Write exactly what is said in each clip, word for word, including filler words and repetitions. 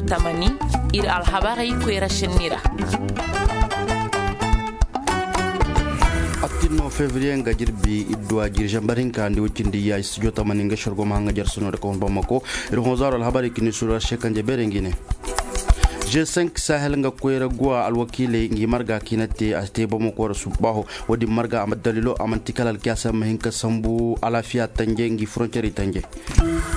Tamani, ir alhabarey koyra šenni ra. Attinno fevriye nga jirbi idduwa jiri zambar hinka ndi wacindi ya studio tamani nga sorgo ma hanga jarsuno da kawun bamako. Ir honzaro alhabarey kini sura shekanje bere ngine. G cinq sahel nga koyra guwa alwakiiley ngi marga kiina te a te bamako ra subbaho. Wodin marga a ma dalilo a manti kala alkiyasa ma hin ka sambu alaafiya tanje ngi frontiere tanje.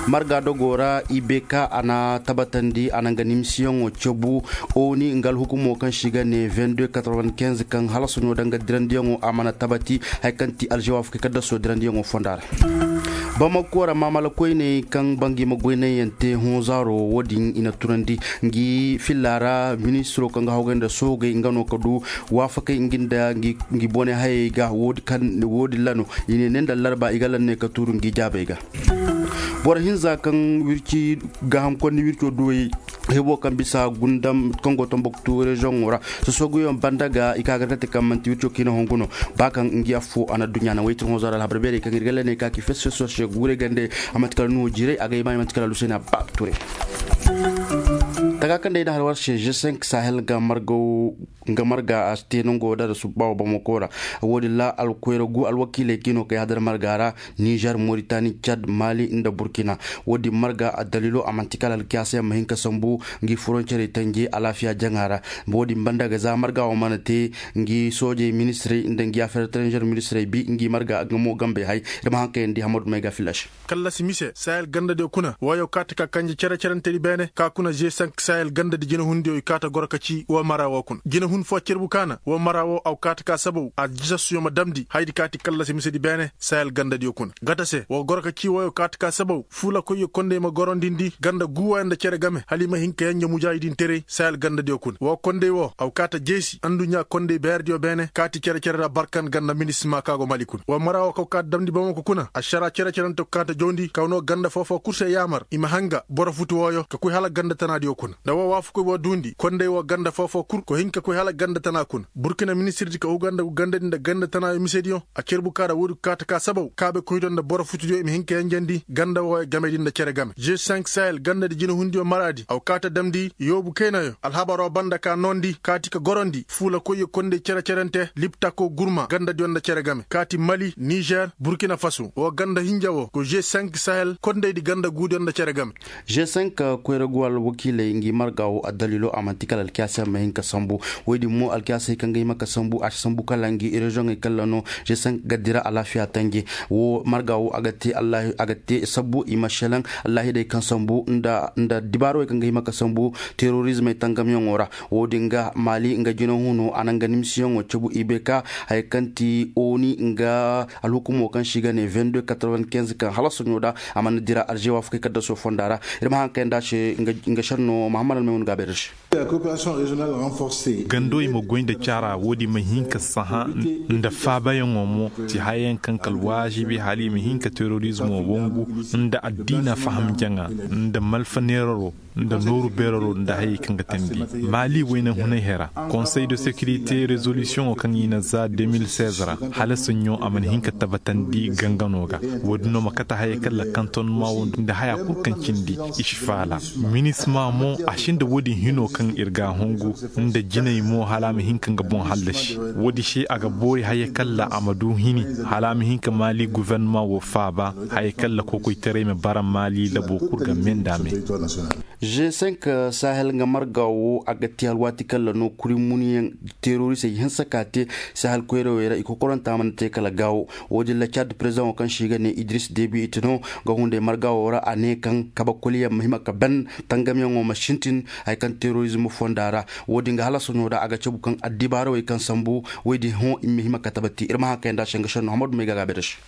Marga dogo ra ibeka a na tabatandi a na nga nimisiyaŋo cabu. Oni nga alhukumo kaŋ se i ga ne vingt-deux quatre-vingt-quinze kaŋ halasu no da nga dirandiyaŋo a mana tabati. Hari kaŋ ti alzewaaf kay kaddaso dirandiyaŋo fonda ra. Bamako ra maamala koyney kaŋ ba ngi ma goy naŋyaŋ te honzaaro wo-din i na tunandi. Ngi filla ra ministiro kaŋ ga hawgay nda soogey nga no ka du waafakey ngi nda ngi bone hayey ga. Wo- din ra no i ne ne nda larba i ga lanney ka tuuru ngi jaabey ga. Boro hinza kaŋ wirci gaaham konni wirco duwey hebo kaŋ bisa gundam kaŋ go tomboktu reziyoŋo ra. Sosoguyaŋ banda ga i ka gargate kaŋ manti wirco kiina hongu no. Ba kaŋ ngi affo a na duɲɲa naŋ waytir honzaro alhabar beerey kaŋ ir ga lanney ka ki fes fes warse guurey gande. A manti kala nuhu jiirey a ga i ma i manti kala lusena ba ture. Taga kaŋ day na har warse g cinq sahel ga margaw nga marga a te nango da da subba wa bamako ra. Wo-din ra alkoyra gu alwakiiley kiino kay hadar marga ra. Nizer, moritani, cad, mali nda burkina. Wo-din marga a dalilo a manti kala alkiyaasa yaŋ ma hin ka sambu ngi froncerey tanje alaafiya jaŋa ra. Wo-din banda ga za marga wo mana te ngi soojey ministirey nda ngi afeer etranzer ministirey bi ngi marga nga mo gambey hay. Ir ma haŋ kayandi hamadu may ga filaš. Kallasi mise sahel gandadiyo kuna woyo kaata ka kanje cere-cerentedi beene ka kuna g cinq sahel gandadi jinahundiyo i kaata goro ka ci woo mara woo kuna jinahun foo cerbu kaana woo mara woo aw kaata ka sabaw a jisassuyo ma damndi hayadi kaati kallasi misedi beene. Sahel gandadiyo kuna gata se woo goro ka ci woyo kaata ka sabaw fuulakoyyo kondey ma gorondindi ganda guuwayo nda cere game hala i ma hin ka yenje mujaahidin terey sahel gandadiyo kuna woo kondey woo aw kaata jeesi anduɲɲaa kondey beerediyo beene kaati cere-cere ra barkan ganda minisima ka go mali kuna woo mara woo kaw kaata damndi bamako kuna ašaraa cere-cerente ko kaata jawndi kaw noo ganda foo-foo kul se yaamar i ma hanga boro futu wooyo ka koy hala ganda tanaadiyo kuna nda woo waafakoy woo duundi kondey woo ganda foo-foo kul ko hin ka koy hala ganda tana kuna burkina ministirdi ka huganda gu gandadi nda ganda tanaayo misediyo a cerbu ka ra woodi ko kaata ka sabaw kaabekoydiyo nda boro futudiyo i ma hin ka yenjendi ganda wooyo gamedi nda cere game g cinq sahel gandadi jinahundiyo maraadi aw kaata damndi yoobu kaynayo alhabaroo banda ka noondi kaati ka gorondi fuulakoyyo kondey cere-cerente liptako gurma gandadiyo nda cere game kaati mali nizer burkina faso woo ganda hinja woo ko g cinq sahel kondeydi ganda guudiyo nda cere game g cinq koyra guwa alwakiiley ngi marga woo addaliilo a man'ti kala alkiyaasa ma hin ka sambu woy din mo alkiyaasey kaŋ ga hima ka sambu a si sambu kala ngi reziyoŋey kala no g cinq ga dira alaafiya tanje woo marga woo a ga te sabbu i ma šelaŋ allaahidey kaŋ sambu nda dibaarowey kaŋ ga hima ka sambu terorizmey tangamyaŋo ra woo din ga maali nga jinahuno a na nga nimisiyaŋo cabu i bay ka haya kaŋ ti oni nga alhukumo kaŋ se i ga ne vingt-deux quatre-vingt-quinze kaŋ hala soɲo da a mana dira alzewa fukay kaddaso fonda ra ir ma haŋ kayandi a se nga šenno mahammad almaymun ga a bayra se gando i ma goy nda caara woodi ma hin ka saha nda faabayaŋo mo ti hayayaŋ kaŋ kala waajibi hala i ma hin ka terorizmo wangu nda addiina faham jaŋa nda malfa neeraro nda nooru beeraro nda hayey kaŋ ga teendi maali wayne hunay hera konsey de sekirite rezolisiyoŋo kaŋ i na za deux mille seize ra hala soɲõ a mana hin ka tabatandi gangano ga woodin no ma kate hayey kaŋ lakantonma wo nda haya kul kaŋ cindi i si faala minisma mo a sinda woodin hino kaŋ ir ga a hungu nda jinay mo hala a ma hin ka nga boŋ hallasi woodin se a ga boori hayey kaŋ ra a ma du hini hala a ma hin ka maali guvernama wo faaba hayey kaŋ ra kokoytaray ma bara maali labo kul ga me nda a me g cinq sahel nga marga wo a ga te alwaati kaŋ ra no kuri muniyaŋ terorisey hinsa ka te sahel koyrawey ra i kokoranta mana te kala gaawo woodin ra cad perezidaŋo kaŋ se i ga ne idris debi i ti no ga hunday marga wo ra a ne kaŋ kabe koliyaŋ ma hima ka ban tangamyaŋo ma sintin haya kaŋ terorizm fonda ra woodin ga hala soɲo ra a ga cabu kaŋ addibaarawey kaŋ sambu woy din hõ i ma hima ka tabati ir ma haŋ kayandi a se nga šenno hamadu may ga a ga a bayra se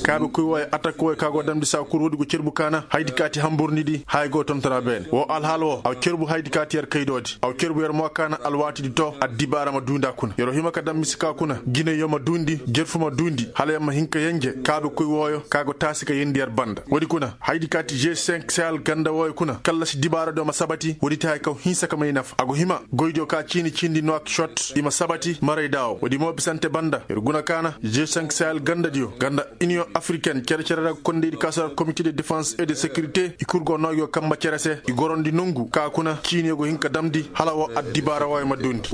kaabe koy wooyo atak wooyo ka go damndi saa kul woodi go cerbu kaana haydi kaati hamburndi di haya go tontora beene woo alhaal woo a wa cerbu haydi kaati yer kaydoodi a wa cerbu yer mo kaana alwaatidi to addibaara ma duundi a kuna yer wa hima ka daŋ mise ka kuna jinayyo ma duundi jerfu ma duundi hala yer ma hin ka yenje kaabe koy wooyo ka go taasi ka yeendi yer banda woodi kuna haydi kaati g cinq sahel ganda wooyo kuna kallasi dibaaradiyo ma sabati woodi ti haya kaŋ hinsa ka may nafa a go hima goydiyo ka ciini ciindi nuwakcot i ma sabati marayda woo woodi mo bisante banda Ir guna kaana g cinq sahel gandadiyo ganda, iniyoŋ afriken cere-cere ra ga kondaydi ka sara komite de defense et de securité i kul go noo gi go kamba cere se i gorandi nongu ka kuna ciiniyo go hin ka damndi hala woo addibaara wooyo ma duundi.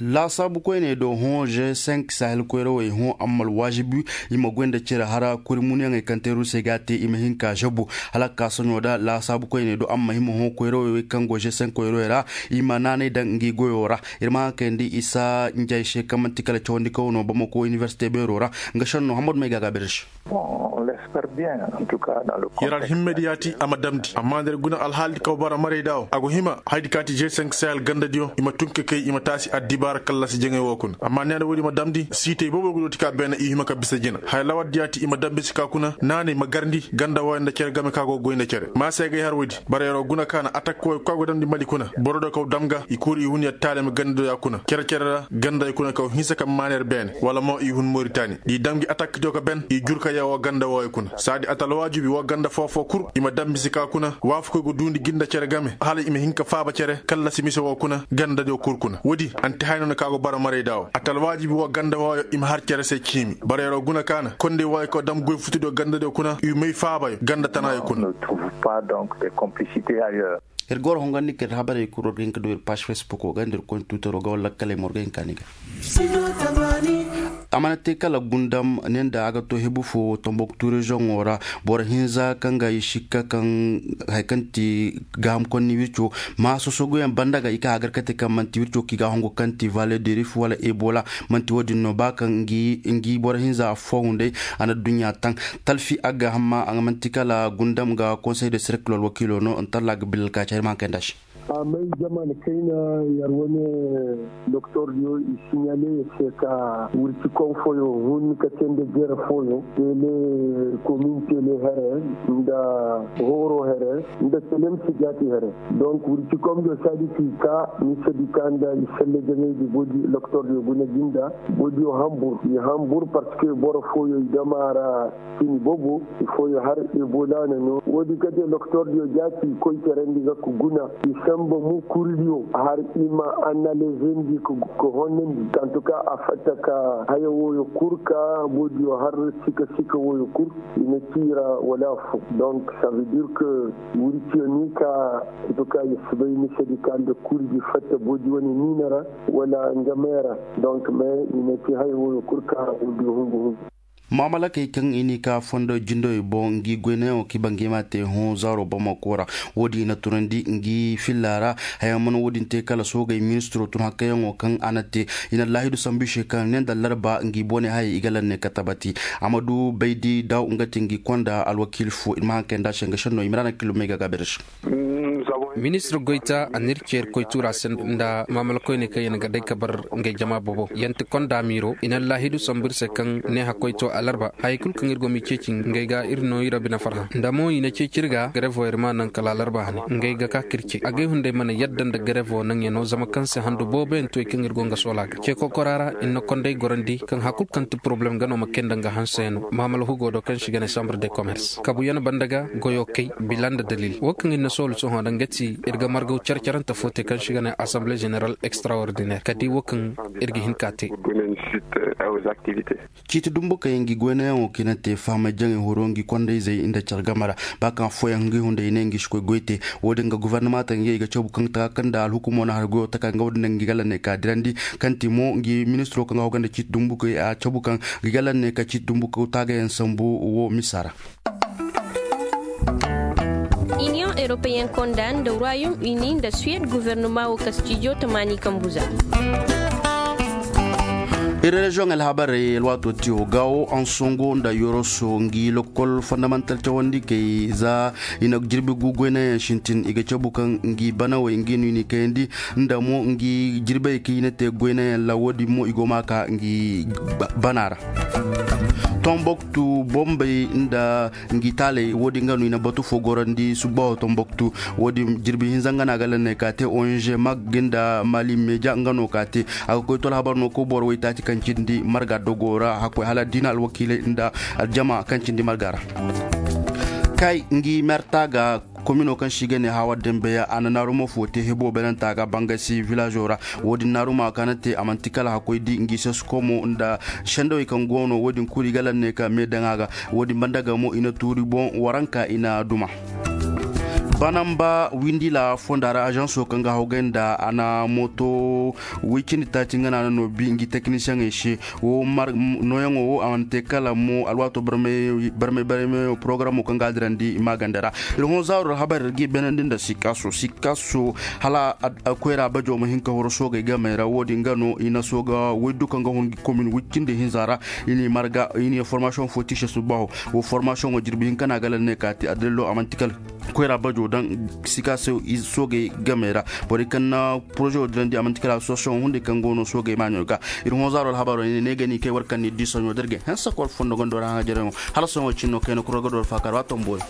Laasaabu koyney do hõ g cinq sahel koyrawey hõ amma alwaazibi i ma goy nda cere hara kuri munyaŋey kaŋ te ruusey ga a te i ma hin ka zabu hala ka ka soɲo da laasaabu koyney do amma hima hõ koyrawey wey kaŋ go g cinq koyrawey ra. I ma naanay daŋ ngi goyo ra. Ir ma haŋ kayandi isa njay se kaŋ man'ti kala cawandi kaw no bamako inibersite beero ra. Nga šenno hammadu may ga a gaabir se. Yer alhimmedi yaati a ma damndi amma nda ir guna alhaaldi kaw bara marayda wo a go hima hayadi kaati g cinq sahel gandadiyo i ma tun ka kay i ma taasi addibaara kallasi jaŋay wo kuna amma neena woodi ma damndi siitey boobo go dooti ka beene i hima ka bisa jina haya lawaddi yaati i ma damndi si ka kuna naanay ma garndi ganda wooyo nda cere game ka go goy nda cere maasay gay har woodi bara yer wo guna kaana atak wooyo ka go damndi mali kuna boro do kaw dam ga i kuuri i hun yer taalami gandadiyo ya kuna cere-cere ra ganda i kuna kaw hinsa ka maana yer beene wala mo i hun moritani da i dam gi atak diyo ka ben i jur ka yee woo ganda wooyo kuna saadi atalwaajibi woo ganda foo-foo kul i ma dam misi ka kuna waafakoy go duundi gi nda cere game hala i ma hin ka faaba cere kallasi mise woo kuna gandadiyo kul kuna woodi anti haya noona ka go bara marayda woo atalwaajibi woo ganda wooyo i ma har cere se ciimi bara yer wo guna kaana kondey wooyo kaw dam goy futudiyo gandadiyo kuna i may faabayo ganda tanaayo kuna. Ir goro hongandi ka ir habarey kul war ga hin ka du ir paas fesbukoo ga nda ir koy tuutaroo ga wala lakkaley ma war ga hin ka ni ga. A mana te kala gundam ne nda a ga to hebu fo tomboktu reziyoŋo ra boro hinza kaŋ ga i sikka kaŋ hari kaŋ ti gaaham konni wirco ma sosoguyaŋ banda ga i ka hagar kate kaŋ man'ti wirco kaŋ i ga a hongu kaŋ ti vale de rif wala ebola. Man'ti wo-din no ba kaŋ ngi boro hinza affoo hunday a na adduɲɲa taŋ talfi agga hamma a ga man'ti kala gundam ga konsey de serkil alwakiilo no ntalla ga bilal ka cahir ma haŋ kay nda se. A may zaman kayna yer wane doktor diyo i siɲale yer se ka wirci konfoyo hun ka tende jere foyo tele komin tele here nda horo here nda telem si jaati here. Donc wirci komdiyo saadi ki ka ni sadi ka nda i selle jaŋay di bodi doktor diyo guna jinda bodiyo hambur i hambur parce que boro foyo i dama ra sini bobo i foyo har ebola na no wodi kate doktor diyo jaati koy terandi ga ku guna i samba mu kuridiyo har i ma analizendi ka honnandi tantuka a fatta ka haya woyo kur ka bodiyo har sika sika woyo kur i na kira wala fu donc ça veut dire que wurciyo ni ka en tout cas ya si bay misedi ka nda kurdi fatta bodi wane niina ra wala nga meera. Donc mais i na ci haya woyo kur ka wurdi hungu hungu. Maamalakey kaŋ i n'i ka fondo jindowey boŋ ngi goynayaŋo kaŋ i ba ngi ma te hõ zaaro bamako ra. Wo-din i na tunandi ngi filla ra. Haya mana wo-din te kala soogey ministiro tun hakkayaŋo kaŋ a na te. I na laahidu sambu i se kaŋ ne nda larba ngi boone hayey i ga lanne ka tabati. Amadu baydi daw nga te ngi konda alwakiili fo i ma haŋ kay nda se nga senno i ma ra na kilomey ga gaabir se. Ministir goyta a n'ir ceer koy tuura se nda maamala koyney kaŋ ya na ga day ka bar ngey jama bobo ya nti konda miiro i na laahidu sambu ir se kaŋ neeha koy to alarba hayey kul kaŋ ir go m'i ceeci ngey ga ir no ir a bine farhã nda mo i na ceeci ir ga garevo ir ma naŋ kala alarba hane ngey ga ka ka ir ce agay hunday mana yadda nda garevo naŋyaŋo zama kaŋ se handu booboyaŋ to i kaŋ ir go nga soola ga ce kokora ra ir na konday gorandi kaŋ hakul kaŋ ti poroblem ga no ma kay nda nga hanseyaŋo maamala hugo do kaŋ se i ga ne sambre de komers kabuyaŋ banda ga goyo kay bila nda dalil wo kaŋ ir na soolu sohõ da nga ti ir ga margaw care-carante fo te kaŋ se i ga ne asamble general extraordinaire ka di wo kaŋ ir ga hin ka te. Ciiti dumbu kaŋ yaŋ ga i goynayaŋo kaŋ i na te fahamay jaŋay horo ngi kondayzey nda care game ra ba kaŋ affooyaŋ ngi hunday i ne ngi si koy goy te. Wo-din ga gofornama taŋ ye i ga cabu kaŋ taka kaŋ nda alhukumo na har goyo taka nga wo-din daŋ ngi gala ne ka dirandi kaŋ ti mo ngi ministiro kaŋ ga hoganda ciiti dumbu kaŋ a cabu kaŋ ngi gala ne ka ciiti dumbu kaŋ taagayaŋ sambu wo misa ra. Iniyoŋ europeyen konda nda royaume uni nda suwed guvernoma wo kastijo tamaani kambu za. Iri reziyoŋ alhabarey alwaato tiyo gaawo ansongo nda yoroso ngi lokol fondamantal cawandi kay za i na jirbi gu goynayaŋ sintin i ga cabu kaŋ ngi banawey ngi no i n'i kayandi nda mo ngi jirbey kaŋ i na te goynayaŋ ra wo-din mo i go ma ka ngi bana ra. Tomboktu bombey nda ngi taaley wo-din ga no i na batu fo gorandi subbaho tomboktu. Wo-din jirbi hinza nga no a ga lanney ka te ong mag nda mali meja nga no ka te a ga koy to alhabar no koy boro waytaaci kaŋ cindi marga dogo ra hakkoy hala diina alwakiiley nda aljama kaŋ cindi marga ra. Kay ngi merta ga Komino kaŋ se i ga ne hawa dambe ya a na naaruma fo te hebo beeranta ga bangasi vilazo ra. Wo-din naaruma kaŋ a na te a manti kala hakkoy di ngi seskomo nda sendawey kaŋ go no wo-din kulu i ga lanne ka me daŋ a ga. Wo-din banda ga mo i na tuuri boŋ waranka i na duma. Banamba windila fonda ra ažanso kaŋ ga hawgay nda a na mooto woy cindi taaci nga no a na no bi ngi tekinisiyeŋey se. Wo nooyaŋo wo a mana te kala mo alwaato barmay barmay porogaramo kaŋ ga a dirandi maaganda ra. Ir hõ zaaro ra habar ir ga i beenandi nda sikaaso sikaaso hala koyra bajo ma hin ka horo soogey gamey ra wo-din ga no i na sooga woy du kaŋ ga hun komin woy cindi hinza ra. I n'i marga i n'i formasiyoŋ fo tiise subbaaho. Wo formasiyoŋo jirbi hinka no a ga lalle ne ka te addalilo a man'ti kala koyra bajo daŋ sika se soogey game ra. Borey kaŋ na poroze wo dirandi a man'ti kala asosiyasiyoŋo hunday kaŋ go no soogey maaɲo ga. Ir hõ zaaro alhabaaro ne ne ga ni kay war kaŋ ni di soɲo da ir ga hanse kor fondo gondo ra haŋajarey mo hala soɲo cin no kayna kuro ga do alfaakar wa tomboyo.